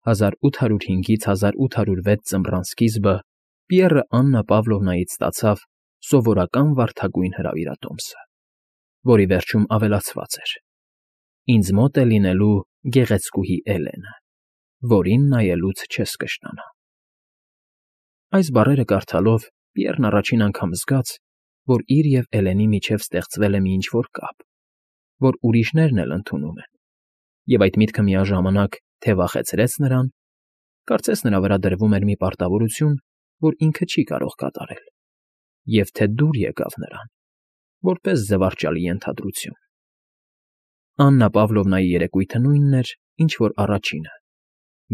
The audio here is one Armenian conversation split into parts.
1805-ից 1806 ձմռան սկիզբը Պիեռը Աննա Պավլովնայից ստացավ սովորական վարդագույն հրավիրատոմսը, որի վերջում ավելացված էր. «Ինձ մոտ է լինելու գեղեցկուհի Էլենը, որին նայելուց չես կշտանա»։ Այս բառերը կարդալով Պիեռն առաջին անգամ զգաց, որ իր և Էլենի միջև ստեղծվել է մի ինչ֊որ կապ, որ ուրիշներն էլ ընդունում են, և այդ միտքը միաժամանակ թե վախեցրեց նրան, կարծես նրա վրա դրվում էր մի պարտավորություն, որ ինքը չի կարող կատարել, և թե դուր եկավ նրան, որպես զվարճալի ենթադրություն։ Աննա Պավլովնայի երեկույթը նույնն էր, ինչ որ առաջինը,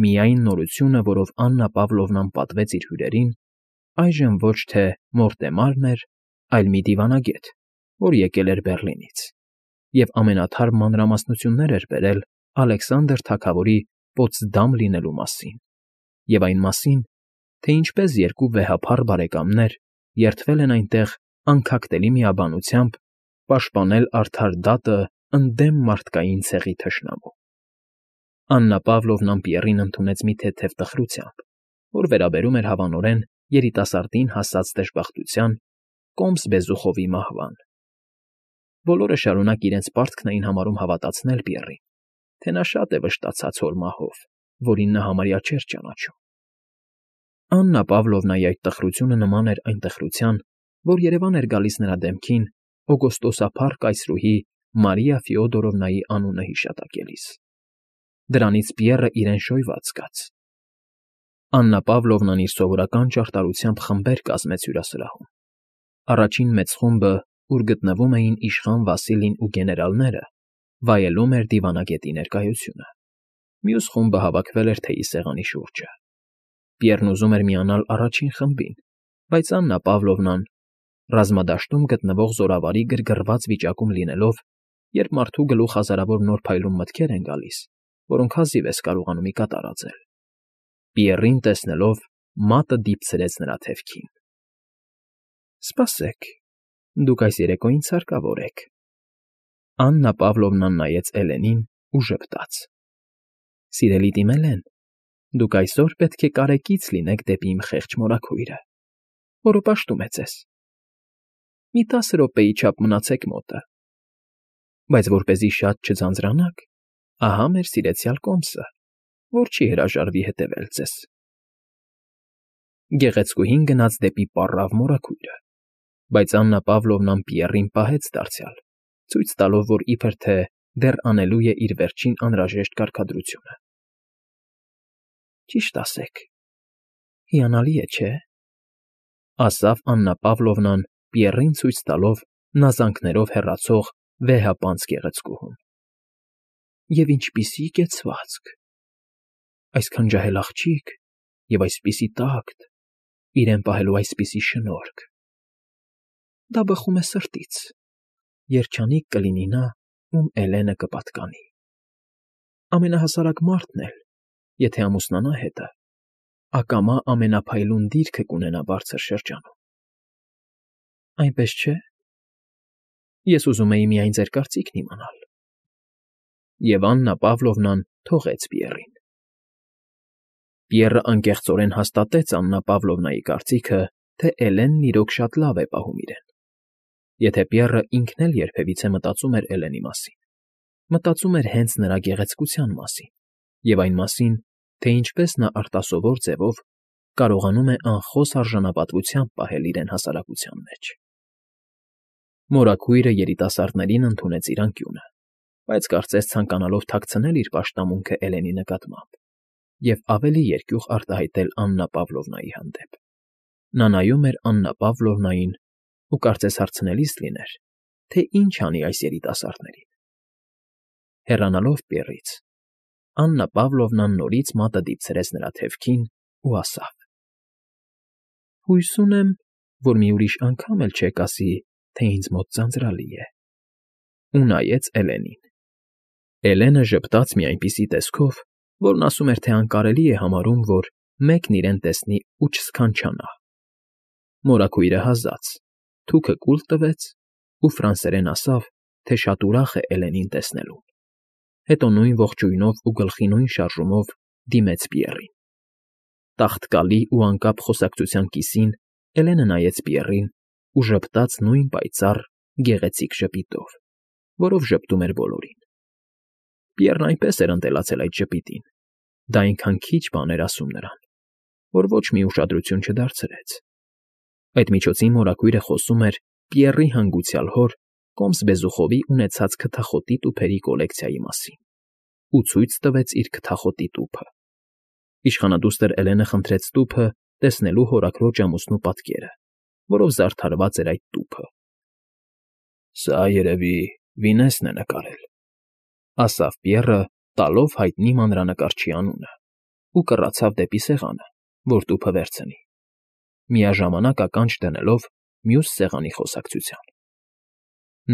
միայն նորությունը, որով Աննա Պավլովնան պատվեց իր հյուրերին, այժմ ոչ թե Մորտեմարն էր, այլ մի դիվանագետ, որ եկել էր Բեռլինից, և ամենաթարմ մանրամասնություններ էր բերել Ալեքսանդր թագավորի Պոտսդամ լինելու մասին, և այն մասին, թե ինչպես երկու վեհափառ բարեկամներ երդվել են այնտեղ անքակտելի միաբանությամբ պաշտպանել արդար դատը ընդդեմ մարդկային ցեղի թշնամու։ Աննա Պավլովնան Պիեռին ընդունեց մի թեթև տխրությամբ, որ վերաբերում էր հավանորեն երիտասարդին հասած դժբախտության, կոմս Բեզուխովի մահվան։ Բոլորը շարունակ իրենց պարտքն էին համարում հավատացնել Պիեռին, թե նա շատ է վշտացած հոր մահով, որին նա համարյա չէր ճանաչում։ Աննա Պավլովնայի այդ տխրությունը նման էր այն տխրության, որ երևան էր գալիս նրա դեմքին օգոստոսափառ կայսրուհի Մարիա Ֆյոդորովնայի անունը հիշատակելիս։ Դրանից Պիեռը իրեն շոյված զգաց։ Աննա Պավլովնան իր սովորական ճարտարությամբ խմբեր կազմեց հյուրասրահում։ Առաջին մեծ խումբը, ուր գտնվում էին իշխան Վասիլին ու գեներալները, վայելում էր դիվանագետի ներկայությունը։ Մյուս խումբը հավաքվել էր թեյի սեղանի շուրջը։ Պիեռն ուզում էր միանալ առաջին խմբին, բայց Աննա Պավլովնան, ռազմադաշտում գտնվող զորավարի գրգռված վիճակում լինելով, երբ մարդու գլուխ հազարավոր նոր փայլուն մտքեր են գալիս, որոնք հազիվ ես կարողանում ի կատար ածել, Պիեռին տեսնելով մատը դիպցրեց նրա թևքին։ «Սպասեք, դուք այս երեկո ինձ հարկավոր եք»։ Աննա Պավլովնան նայեց Էլենին ու ժպտաց. «Սիրելի տի Էլեն, դուք այսօր պետք է կարեկից լինեք դեպի իմ խեղճ մորաքույրը, որը պաշտում է ձեզ։ Մի 10 րոպեի չափ մնացեք մոտը, բայց որպեսզի շատ չձանձրանաք, ահա մեր սիրեցյալ կոմսը, որ չի հրաժարվի հետևել ձեզ»։ Գեղեցկուհին գնաց դեպի պառավ մորաքույրը, բայց Աննա Պավլովնան Պիեռին պահեց դարձյալ, ցույց տալով, որ իբր թե դեռ անելու է իր վերջին անհրաժեշտ կարգադրությունը։ «Ճիշտ ասեք, հիանալի է, չէ՞», ասավ Աննա Պավլովնան Պիեռին ցույց տալով նազանքներով հեռացող վեհապանծ գեղեցկուհուն։ «Եվ ինչպիսի կեցվածք, այսքան ջահել աղջիկ և այսպիսի տակտ, իրեն պահելու այսպիսի շնորհք։ Դա բխում է սրտից, երջանիկ կլինի նա, ում Էլենը կպատկանի։ Ամենահասարակ մարդն էլ, եթե ամուսնանա հետը, ակամա ամենափայլուն դիրքը կունենա բարձր շրջանում։ Այնպես չէ՞։ Ես ուզում էի միայն ձեր կարծիքն իմանալ»։ Եվ Աննա Պավլովնան թողեց Պիեռին։ Պիեռը անկեղծորեն հաստատեց Աննա Պավլովնայի կարծիքը, թե Էլենն իրոք շատ լավ է պահում իրեն։ Եթե Պիեռը ինքն էլ երբևիցե մտածում էր Էլենի մասին, մտածում էր հենց նրա գեղեցկության մասին և այն մասին, թե ինչպես նա արտասովոր ձևով կարողանում է անխոս արժանապատվությամբ պահել իրեն հասարակության մեջ։ Մորաքույրը երիտասարդներին ընդունեց իր անկյունը, բայց կարծես ցանկանալով թաքցնել իր պաշտամունքը Էլենի նկատմամբ և ավելի երկյուղ արտահայտել Աննա Պավլովնայի հանդեպ։ Նա նայում էր Աննա Պավլովնային ու կարծես հարցնելիս լիներ, թե ինչ անի այս երիտասարդներին։ Հեռանալով Պիեռից, Աննա Պավլովնան նորից մատը դիպցրեց նրա թևքին ու ասավ. «Հույս ունեմ, որ մի ուրիշ անգամ էլ չեք ասի, թե ինձ մոտ ձանձրալի է»։ Ու նայեց Էլենին։ Էլենը ժպտաց մի այնպիսի տեսքով, որն ասում էր, թե անկարելի է համարում, որ մեկն իրեն տեսնի ու չսքանչանա։ Մորաքույրը հազաց, թուքը կուլ տվեց ու ֆրանսերեն ասավ, թե շատ ուրախ է Էլենին տեսնելուն։ Հետո նույն ողջույնով ու գլխի նույն շարժումով դիմեց Պիեռին։ Տաղտկալի ու անկապ խոսակցության կիսին Էլենը նայեց Պիեռին ու ժպտաց նույն պայծառ, գեղեցիկ ժպիտով, որով ժպտում էր բոլորին։ Պիեռն այնպես էր ընտելացել այդ ժպիտին, դա այնքան քիչ բան էր ասում նրան, որ ոչ մի ուշադրություն չդարձրեց։ Այդ միջոցին մորաքույրը խոսում էր Պիեռի հանգուցյալ հոր Կոմս Բեզուխովի ունեցած քթախոտի տուփերի կոլեկցիայի մասին ու ցույց տվեց իր քթախոտի տուփը։ Իշխանադուստր Էլենը խնդրեց տուփը տեսնելու հորաքրոջ ամուսնու պատկերը, որով զարդարված էր այդ տուփը։ «Սա, երևի, Վինեսն է նկարել», ասավ Պիեռը, տալով հայտնի մանրանկարչի անունը, ու կռացավ դեպի սեղանը, որ տուփը վերցնի, միաժամանակ ականջ դնելով մյուս սեղանի խոսակցության։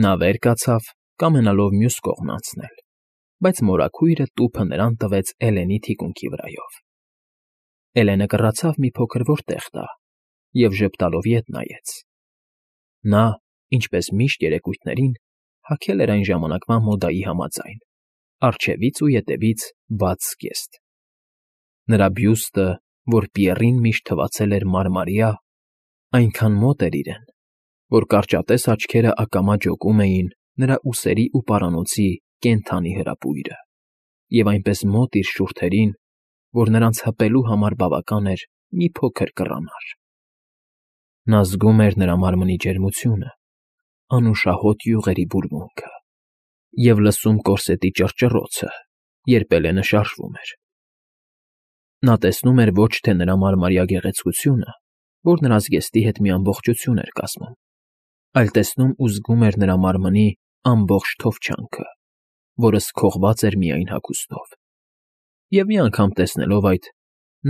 Նա վեր կացավ, կամենալով մյուս կողմն անցնել, բայց մորաքույրը տուփը նրան տվեց Էլենի թիկունքի վրայով։ Էլենը կռացավ մի փոքր որտեղ տա և ժպտալով ետ նայեց։ Նա, ինչպես միշտ երեկույթներին, հագել էր այն ժամանակվա մոդայի համաձայն, առջևից ու ետևից բաց զգեստ։ Նրա բյուստը, որ Պիեռին միշտ թվացել էր մարմարյա, այնքան մոտ էր իրեն, որ կարճատես աչքերը ակամա ջոկում էին նրա ուսերի ու պարանոցի կենդանի հրապույրը, և այնպես մոտ իր շուրթերին, որ նրանց հպելու համար բավական էր մի փոքր կռանար։ Նա զգում էր նրա մարմնի ջերմությունը, անուշահոտ յուղերի բուրմունքը և լսում կորսետի ճռճռոցը, երբ Էլենը շարժվում էր։ Նա տեսնում էր ոչ թե նրա մարմարյա գեղեցկությունը, որ նրա զգեստի հետ մի ամբողջություն էր կազմում, այլ տեսնում ու զգում էր նրա մարմնի ամբողջ թովչանքը, որը սքողված էր միայն հագուստով։ Եվ մի անգամ տեսնելով այդ,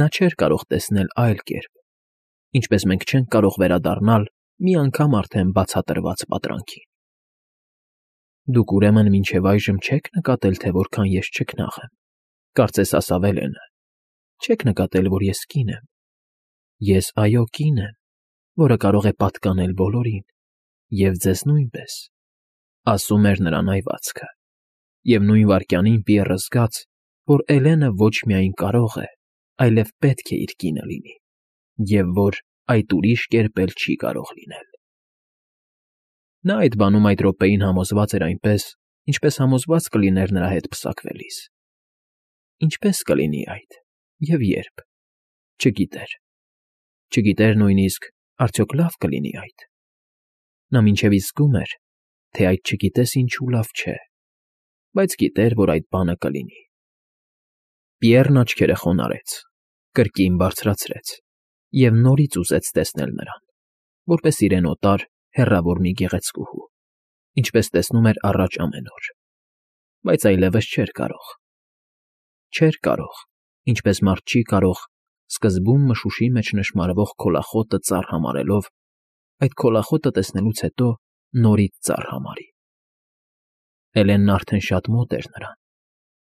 նա չէր կարող տեսնել այլ կերպ, ինչպես մենք չենք կարող վերադառնալ մի անգամ արդեն բացատրված պատրանքին։ Դուք ուրեմն մինչև այժմ չեք նկատել, թե որքան ես չքնաղ եմ, կարծես ասավ Էլենը, չեք նկատել, որ ես կին եմ։ Ես, այո, կին եմ, որը կարող է պատկանել բոլորին, և ձեզ նույնպես, ասում էր նրան այվածքը, և նույն վայրկյանին Պիեռը զգաց, որ Էլենը ոչ միայն կարող է, այլև պետք է իր կինը լինի, և որ այդ ուրիշ կերպ էլ չի կարող լինել։ Նա այդ բանում այդ րոպեին համոզված էր այնպես, ինչպես համոզված կլիներ նրա հետ պսակվելիս։ Ինչպե՞ս կլինի այդ և ե՞րբ։ Չգիտեր։ Չգիտեր նույնիսկ, արդյոք լավ կլինի այդ։ Նա մինչև իսկ զգում էր, թե այդ չգիտես ինչու լավ չէ, բայց գիտեր, որ այդ բանը կլինի։ Պիեռն աչքերը խոնարհեց, կրկին բարձրացրեց և նորից ուզեց տեսնել նրան, որպես իրեն օտար, հեռավոր մի գեղեցկուհու, ինչպես տեսնում էր առաջ ամեն օր, բայց այլևս չէր կարող։ Չէր կարող, ինչպես մարդ չի կարող, սկզբում մշուշի մեջ նշմարվող քոլախոտը ծառ համարելով, այդ քոլախոտը տեսնելուց հետո նորից ծառ համարի։ Էլենն արդեն շատ մոտ էր նրան,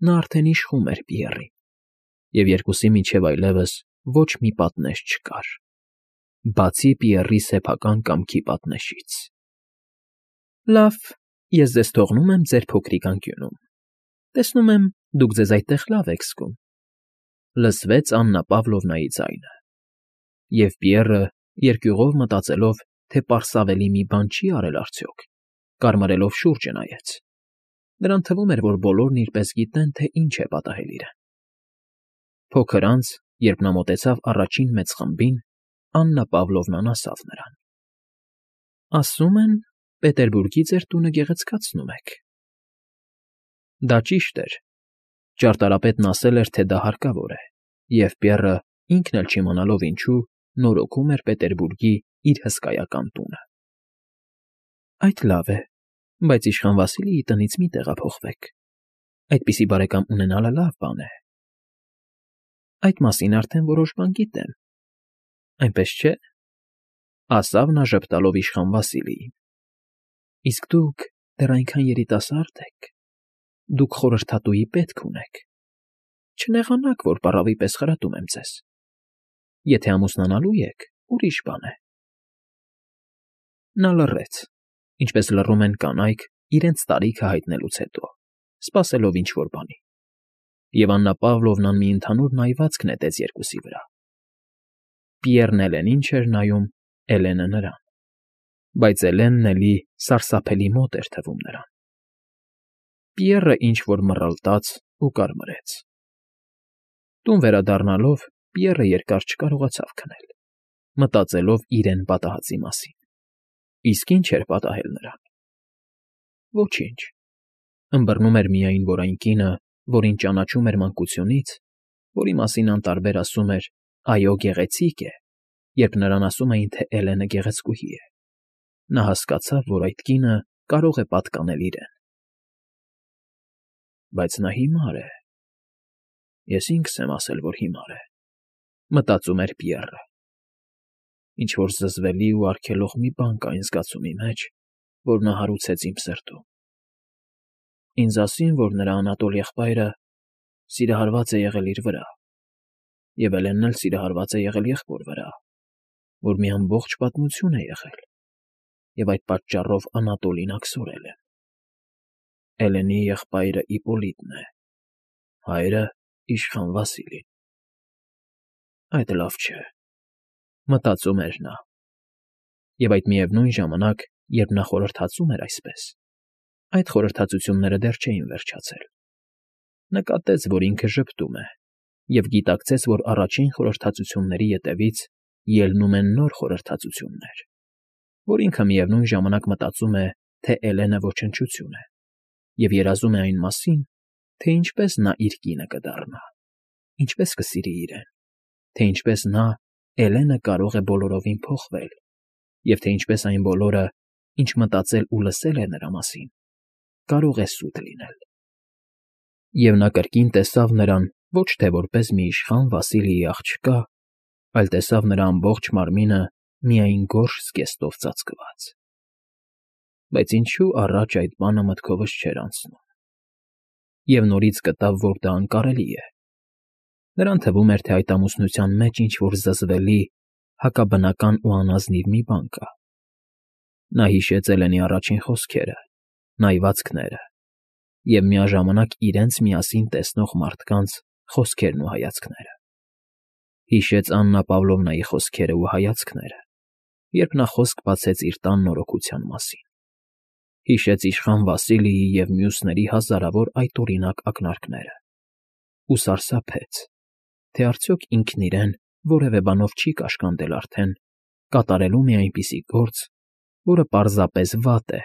նա արդեն իշխում էր Պիեռին, և երկուսի միջև այլևս ոչ մի պատնեշ չկար, բացի Պիեռի սեփական կամքի պատնեշից։ Լավ, ես ձեզ թողնում եմ ձեր փոքրիկ անկյունում, տեսնում եմ, դուք ձեզ այդտեղ լավ եք զգում, լսվեց Աննա Պավլովնայի ձայնը, և Պիեռը, երկյուղով մտածելով, թե պարսավելի մի բան չի արել արդյոք, կարմարելով շուրջը նայեց։ Նրան թվում էր, որ բոլորն իրպես գիտեն, թե ինչ է պատահել իրեն։ Փոքր անց, երբ նա մոտեցավ առաջին մեծ խմբին, Աննա Պավլովնան ասավ նրան. Ասում են, Պետերբուրգի ձեր տունը գեղեցկացնում եք։ Դա ճիշտ էր։ Ճարտարապետն ասել էր, թե դա հարկավոր է, և Պիեռը, ինքն էլ չիմանալով ինչու, նորոգում էր Պետերբուրգի իր հսկայական տունը։ Այդ լավ է, բայց իշխան Վասիլիի տնից մի տեղափոխվեք։ Այդպիսի բարեկամ ունենալը լավ բան է։ Այդ մասին արդեն որոշ բան գիտեմ։ Այնպես չէ՞, ասավ նա ժպտալով իշխան Վասիլիին։ Իսկ դուք դեռ այնքան երիտասարդ եք, դուք խորհրդատուի պետք ունեք։ Չնեղանաք, որ պառավի պես խրատում եմ ձեզ։ Եթե ամուսնանալու եք, ուրիշ բան է։ Նա լռեց, ինչպես լռում են կանայք իրենց տարիքը հայտնելուց հետո, սպասելով ինչ֊որ բանի։ և Աննա Պավլովնան մի ընդհանուր նայվածք նետեց երկուսի վրա։ Պիեռն Էլենին չէր նայում, Էլենը նրան, բայց Էլենն էլի սարսափելի մոտ էր թվում նրան։ Պիեռը ինչ֊որ մռլտաց ու կարմրեց։ Տուն վերադառնալով Պիեռը երկար չկարողացավ քնել, մտածելով իրեն պատահածի մասին։ Իսկ ինչ էր պատահել նրան։ Ոչինչ։ Ըմբռնում էր միայն, որ այն կինը, որին ճանաչում էր մանկությունից, որի մասին անտարբեր ասում էր «այո, գեղեցիկ է», երբ նրան ասում էին, թե Էլենը գեղեցկուհի է, նա հասկացավ, որ այդ կինը կարող է պատկանել իրեն։ Բայց նա հիմար է։ Ես ինքս եմ ասել, որ հիմար է, մտածում էր Պիեռը։ Ինչ֊որ զզվելի ու արգելող մի բան կա այն զգացումի մեջ, որ նա հարուցեց իմ սրտում։ Ինձ ասին, որ նրա Անատոլ եղբայրը սիրահարված է եղել իր վրա, և Էլենն էլ սիրահարված է եղել եղբոր վրա, որ մի ամբողջ պատմություն է եղել, և այդ պատճառով Անատոլին աքսորել են։ Էլենի եղբայրը Իպպոլիտն է, հայրը իշխան Վասիլին։ Այդ լավ չէ, մտածում էր նա։ Եվ այդ միևնույն ժամանակ, երբ նա խորհրդածում էր այսպես, այդ խորհրդածությունները դեռ չէին վերջացել։ Նկատեց, որ ինքը ժպտում է, և գիտակցեց, որ առաջին խորհրդածությունների ետևից ելնում են նոր խորհրդածություններ, որ ինքը միևնույն ժամանակ մտածում է, թե Էլենը ոչնչություն է, և երազում է այն մասին, թե ինչպես նա իր կինը կդառնա, ինչպես կսիրի իրեն, թե ինչպես նա, Էլենը, կարող է բոլորովին փոխվել, և թե ինչպես այն բոլորը, ինչ մտածել ու լսել է նրա մասին, կարող է սուտ լինել։ Եվ նա կրկին տեսավ նրան ոչ թե որպես մի իշխան Վասիլիի աղջկա, այլ տեսավ նրա ամբողջ մարմինը միայն գորշ զգեստով ծածկված։ Բայց ինչու առաջ այդ բանը մտքովս չէր անցնում։ Եվ նորից գտավ, որ դա անկարելի է։ Նրան թվում էր, թե այդ ամուսնության մեջ ինչ֊որ զզվելի, հակաբնական ու անազնիվ մի բան կա։ Նա հիշեց Էլենի առաջին խոսքերը, նայվածքները և միաժամանակ իրենց միասին տեսնող մարդկանց խոսքերն ու հայացքները։ Հիշեց Աննա Պավլովնայի խոսքերն ու հայացքները, երբ նա խոսք բացեց իր տան նորոգության մասին։ Հիշեց իշխան Վասիլիի և մյուսների հազարավոր այդօրինակ ակնարկները ու սարսափեց, թե արդյոք ինքն իրեն որևէ բանով չի կաշկանդել արդեն, կատարելու մի այնպիսի գործ, որը պարզապես վատ է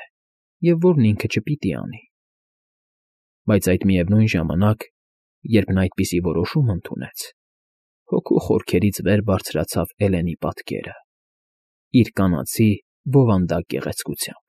և որն ինքը չպիտի անի։ Բայց այդ միևնույն ժամանակ, երբ նա այդպիսի որոշում ընդունեց, հոգու խորքերից վեր բարձրացավ Էլենի պատկերը՝ իր կանացի, բովանդակ գեղեցկությամբ։